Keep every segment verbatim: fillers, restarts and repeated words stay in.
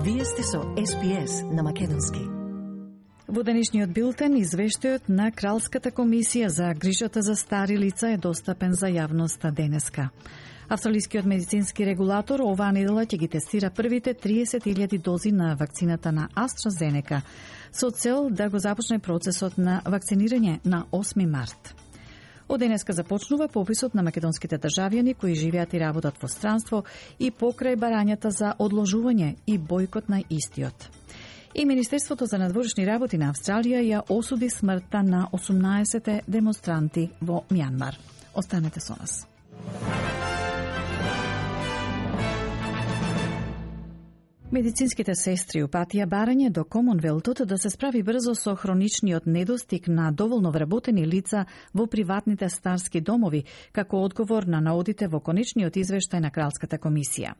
Вие сте со Ес Би Ес на македонски. Во денешниот билтен, извештајот на Кралската комисија за грижата за стари лица е достапен за јавноста денеска. Австралискиот медицински регулатор оваа недела ќе ги тестира првите триесет илјади дози на вакцината на AstraZeneca со цел да го започне процесот на вакцинирање на осми март. Од денеска започнува пописот на македонските државјани кои живеат и работат во странство и покрај барањата за одложување и бојкот на истиот. И Министерството за надворешни работи на Австралија ја осуди смртта на осумнаесет демонстранти во Мјанмар. Останете со нас. Медицинските сестри упатија барање до Комонвелтот да се справи брзо со хроничниот недостиг на доволно вработени лица во приватните старски домови, како одговор на наодите во конечниот извештај на Кралската комисија.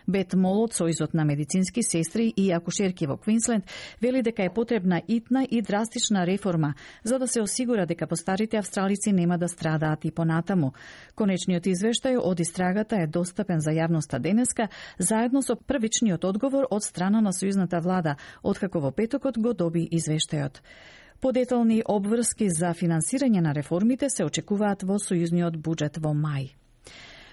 Бет Мол од Сојузот на медицински сестри и акушерки во Квинсленд вели дека е потребна итна и драстична реформа за да се осигура дека постарите австралици нема да страдаат и понатаму. Конечниот извештај од истрагата е достапен за јавноста денеска, заедно со првичниот одговор од страна на сојузната влада, откако во петокот го доби извештајот. Подетални обврски за финансирање на реформите се очекуваат во сојузниот буџет во мај.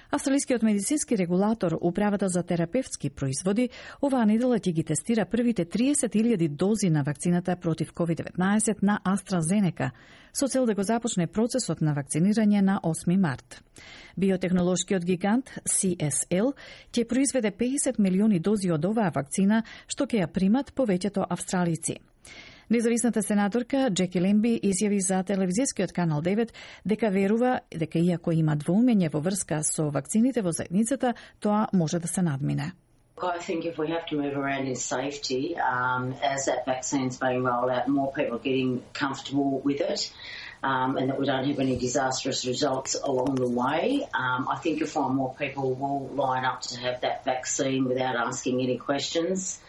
Австралискиот медицински регулатор, Управата за терапевтски производи, оваа недела ќе ги тестира првите триесет илјади дози на вакцината против ковид деветнаесет на AstraZeneca, со цел да го започне процесот на вакцинирање на осми март. Биотехнолошкиот гигант Си Ес Ел ќе произведе педесет милиони дози од оваа вакцина, што ќе ја примат повеќето австралици. Независната сенаторка Джеки Лемби изјави за телевизискиот канал девет дека верува дека иако има двоумење во врска со вакцините во заедницата, тоа може да се надмине. I think if we have to move around in safety, um, as that vaccine's being rolled out, more people are getting comfortable with it, um, and that we don't have any disastrous results along the way. Um, I think you'll find more people will line up to have that vaccine without asking any questions.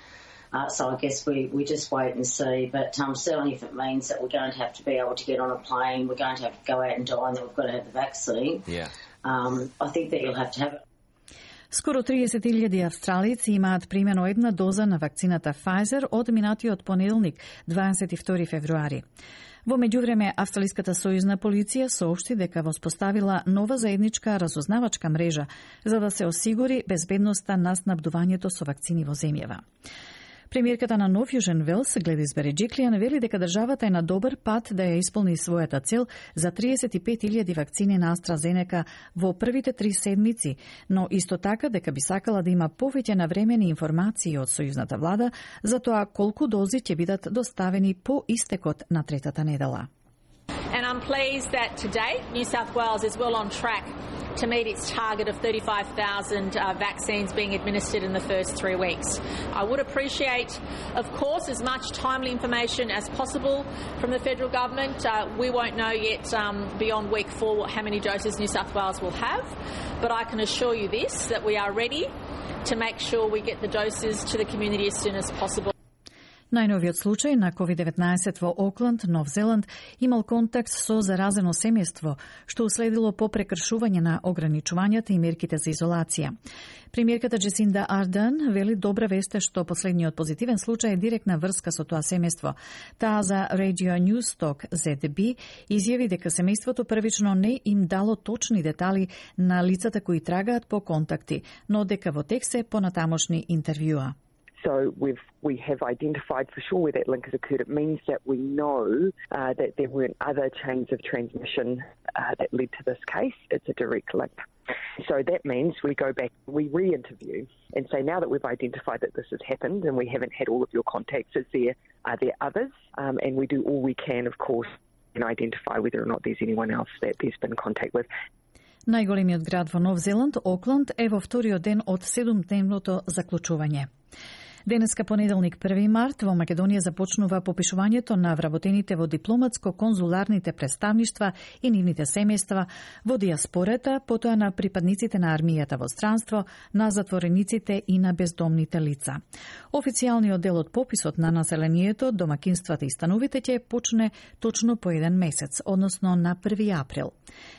Uh, so I guess we, we just wait and see. But um, certainly if it means that we're going to have to be able to get on a plane, we're going to have to go out and dine, that we've got to have the vaccine, yeah. um, I think that you'll have to have it. Скоро триесет илјади австралици имаат примено една доза на вакцината Pfizer од минатиот понеделник, дваесет и втори февруари. Во меѓувреме, Австралиската сојузна полиција соопшти дека воспоставила нова заедничка разузнавачка мрежа за да се осигури безбедноста на снабдувањето со вакцини во земјава. Премиерката на Нов Јужен Велс, Гледис Береџиклијан, вели дека државата е на добар пат да ја исполни својата цел за триесет и пет илјади вакцини на AstraZeneca во првите три седмици, но исто така дека би сакала да има повеќе навремени информации од сојузната влада за тоа колку дози ќе бидат доставени по истекот на третата недела. And I'm pleased that today New South Wales is well on track to meet its target of thirty-five thousand uh, vaccines being administered in the first three weeks. I would appreciate, of course, as much timely information as possible from the federal government. Uh, we won't know yet um, beyond week four how many doses New South Wales will have, but I can assure you this, that we are ready to make sure we get the doses to the community as soon as possible. Најновиот случај на ковид деветнаесет во Окланд, Нов Зеланд, имал контакт со заразено семејство, што уследило по прекршување на ограничувањата и мерките за изолација. Премиерката Джесинда Ардерн вели добра вест е што последниот позитивен случај е директна врска со тоа семејство. Таа за Radio Newstalk Зет Би изјави дека семејството првично не им дало точни детали на лицата кои трагаат по контакти, но дека во тек се понатамошни интервјуа. So we've, we have identified for sure where that link has occurred. It means that we know uh, that there weren't other chains of transmission uh, that led to this case. It's a direct link. So that means we go back, we re-interview and say, now that we've identified that this has happened and we haven't had all of your contacts, is there, are there others? Um, and we do all we can, of course, and identify whether or not there's anyone else that there's been contact with. Најголемиот град во Нов Зеланд, Окланд, е во вториот ден од седумдневното заклучување. Денеска понеделник први март во Македонија започнува попишувањето на вработените во дипломатско-конзуларните представништва и нивните семејства, во диаспората, потоа на припадниците на армијата во странство, на затворениците и на бездомните лица. Официјалниот дел од пописот на населението, домакинствата и становите ќе почне точно по еден месец, односно на први април.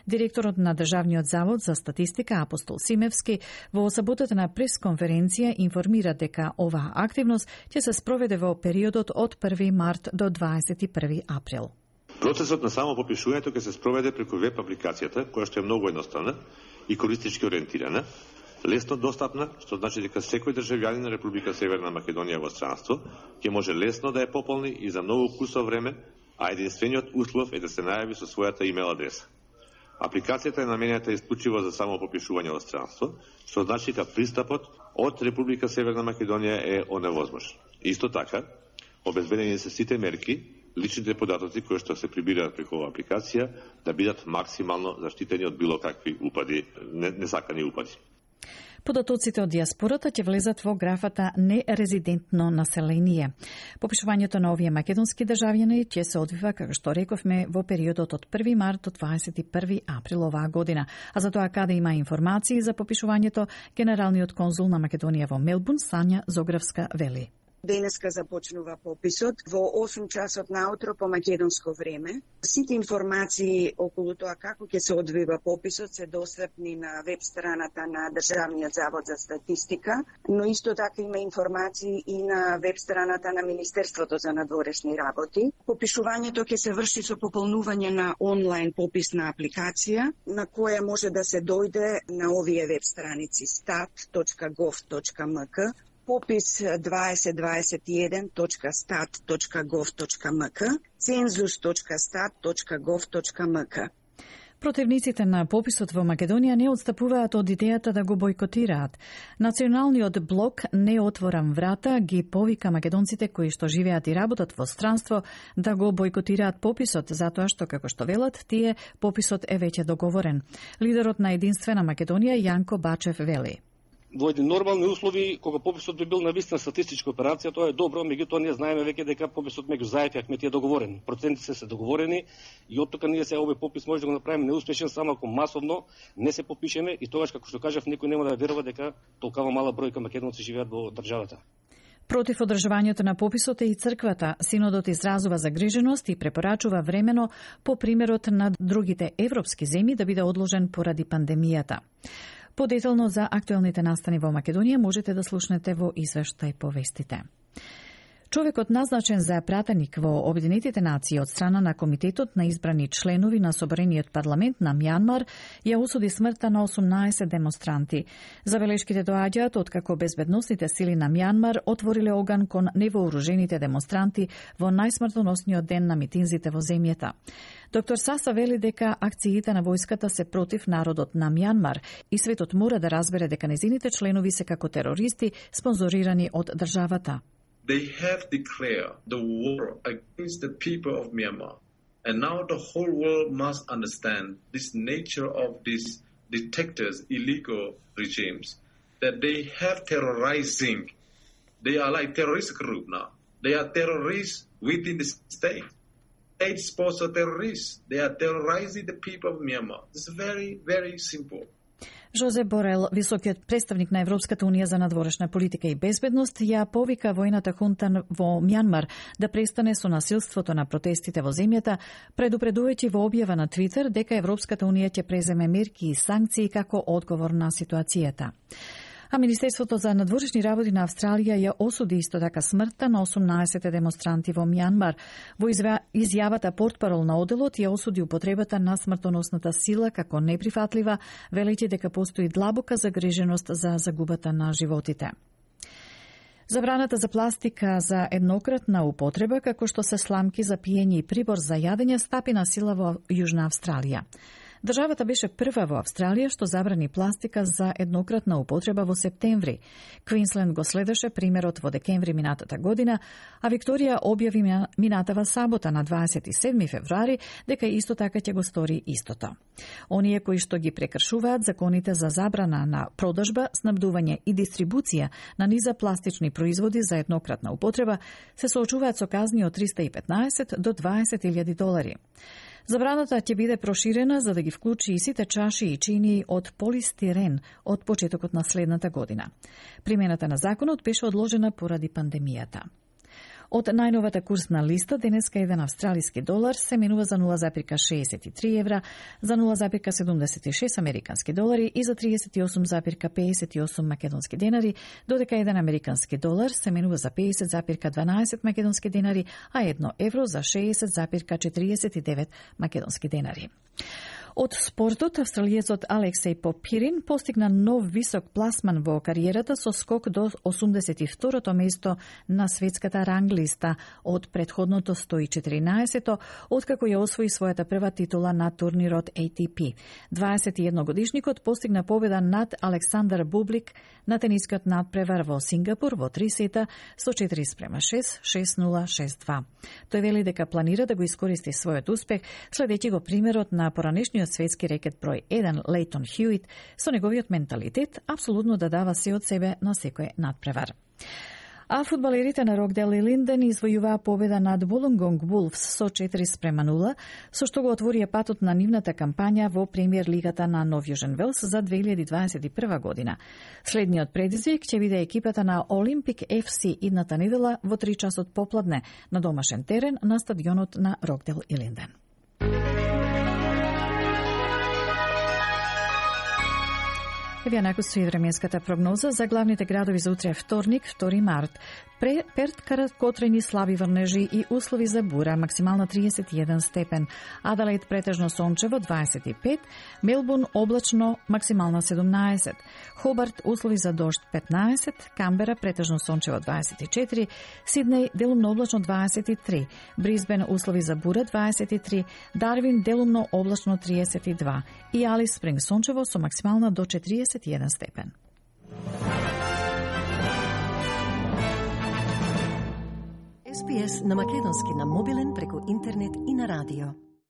Директорот на Државниот завод за статистика Апостол Симевски во саботата на пресконференција информира дека ова Таа активност ќе се спроведе во периодот од први март до дваесет и први април. Процесот на само попишувањето ќе се спроведе преку веб апликацијата, која што е многу едноставна и користички ориентирана, лесно достапна, што значи дека секој државјанин на Република Северна Македонија во странство ќе може лесно да ја пополни и за многу кусо време, а единствениот услов е да се најави со својата имейл адреса. Апликацијата е наменета исклучиво за само попишување во странство, што значи дека пристапот од Република Северна Македонија е оневозможен. Исто така, обезбедени се сите мерки, личните податоци кои што се прибираат преку оваа апликација да бидат максимално заштитени од било какви упади, несакани упади. Податоците од диаспората ќе влезат во графата нерезидентно население. Попишувањето на овие македонски државјани ќе се одвива, како што рековме, во периодот од први март до дваесет и први април оваа година. А за тоа каде има информации за попишувањето, генералниот конзул на Македонија во Мелбурн, Сања Зографска, вели. Денеска започнува пописот во осум часот наутро по македонско време. Сите информации околу тоа како ќе се одвива пописот се достапни на веб страната на Државниот завод за статистика, но исто така има информации и на веб страната на Министерството за надворешни работи. Попишувањето ќе се врши со пополнување на онлайн пописна апликација, на која може да се дојде на овие веб страници stat точка gov точка mk, попис дваесет дваесет и еден точка stat точка gov точка mk, cenzus точка stat точка gov точка mk. Противниците на пописот во Македонија не отстапуваат од идејата да го бойкотираат. Националниот блок Не отворам врата ги повика македонците кои што живеат и работат во странство да го бойкотираат пописот, затоа што, како што велат, тие пописот е веќе договорен. Лидерот на Единствена Македонија Јанко Бачев вели. Во едни нормални услови, кога пописот би бил навистина статистичка операција, тоа е добро, меѓутоа ние знаеме веќе дека пописот меѓу заедно и Ахметија е договорен. Процентите се договорени и оттука ние се овој попис може да го направиме неуспешен само ако масовно не се попишеме и тогаш, како што кажав, никој нема да верува дека толкова мала бројка македонци живеат во државата. Против одржувањето на пописот е и црквата. Синодот изразува загриженост и препорачува времено по примерот на другите европски земји да биде одложен поради пандемијата. Подетално за актуелните настани во Македонија можете да слушнете во извештај по вестите. Човекот назначен за пратеник во Обединетите нации од страна на Комитетот на избрани членови на Соборениот парламент на Мјанмар ја осуди смртта на осумнаесет демонстранти. Забелешките доаѓаат откако безбедносните сили на Мјанмар отвориле оган кон невооружените демонстранти во најсмртоносниот ден на митинзите во земјата. Доктор Саса вели дека акциите на војската се против народот на Мјанмар и светот мора да разбере дека незините членови се како терористи спонзорирани од државата. They have declared the war against the people of Myanmar. And now the whole world must understand this nature of these dictators, illegal regimes, that they have terrorizing. They are like terrorist group now. They are terrorists within the state. State sponsor terrorists. They are terrorizing the people of Myanmar. It's very, very simple. Жозе Борел, високиот представник на Европската унија за надворешна политика и безбедност, ја повика војната хунта во Мјанмар да престане со насилството на протестите во земјата, предупредувајќи во објава на Твитер дека Европската унија ќе преземе мерки и санкции како одговор на ситуацијата. А Министерството за надворешни работи на Австралија ја осуди исто така смртта на осумнаесет демонстранти во Мјанмар. Во изјавата портпарол на оделот ја осуди употребата на смртоносната сила како неприфатлива, велејќи дека постои длабока загриженост за загубата на животите. Забраната за пластика за еднократна употреба, како што се сламки за пиење и прибор за јадење, стапи на сила во Јужна Австралија. Државата беше прва во Австралија што забрани пластика за еднократна употреба во септември. Квинсленд го следеше примерот во декември минатата година, а Викторија објави минатава сабота на дваесет и седми февруари дека исто така ќе го стори истото. Оние кои што ги прекршуваат законите за забрана на продажба, снабдување и дистрибуција на низа пластични производи за еднократна употреба се соочуваат со казни од триста и петнаесет до дваесет илјади долари. Забраната ќе биде проширена за да ги вклучи и сите чаши и чинии од полистирен од почетокот на следната година. Примената на законот беше одложена поради пандемијата. Од најновата курсна листа, денеска еден австралиски долар се менува за нула запирка шеесет и три евра, за нула запирка седумдесет и шест американски долари и за тридесет и осум запирка пеесет и осум македонски денари, додека еден американски долар се менува за пеесет запирка дванаесет македонски денари, а едно евро за шеесет запирка четириесет и девет македонски денари. Од спортот, австралиецот Алексеј Попирин постигна нов висок пласман во кариерата со скок до осумдесет и второто место на светската ранглиста од предходното сто и четиринаесето, откако ја освои својата прва титула на турнирот А Т П. дваесет и едногодишникот постигна победа над Александар Бублик на тенискиот надпревар во Сингапур во три сета со четири спрема шест, шест нула, шест два. Тој вели дека планира да го искористи својот успех, следејќи го примерот на поранешниот светски рекет број еден Лейтон Хјуит, со неговиот менталитет апсолутно да дава се од себе на секој надпревар. А фудбалерите на Рокдел и Линден извојуваа победа над Wollongong Wolves со четири спрема нула, со што го отворија патот на нивната кампања во премиер лигата на Нов Јужен Велс за две илјади дваесет и прва година. Следниот предизвик ќе биде екипата на Олимпик Ф С идната недела во три часот попладне на домашен терен на стадионот на Рокдел и Линден. Еве накусу и временската прогноза за главните градови за утре вторник, втори март. Пре, Перт краткотрени слаби врнежи и услови за бура, максимално триесет и еден степен. Аделаид претежно сончево дваесет и пет, Мелбурн облачно максимално седумнаесет, Хобарт услови за дожд петнаесет, Камбера претежно сончево дваесет и четири, Сиднеј делумно облачно дваесет и три, Брисбен услови за бура дваесет и три, Дарвин делумно облачно триесет и два и Алис Спринг сончево со максимално до четириесет и еден степен. С Б С на македонски на мобилен преку интернет и на радио.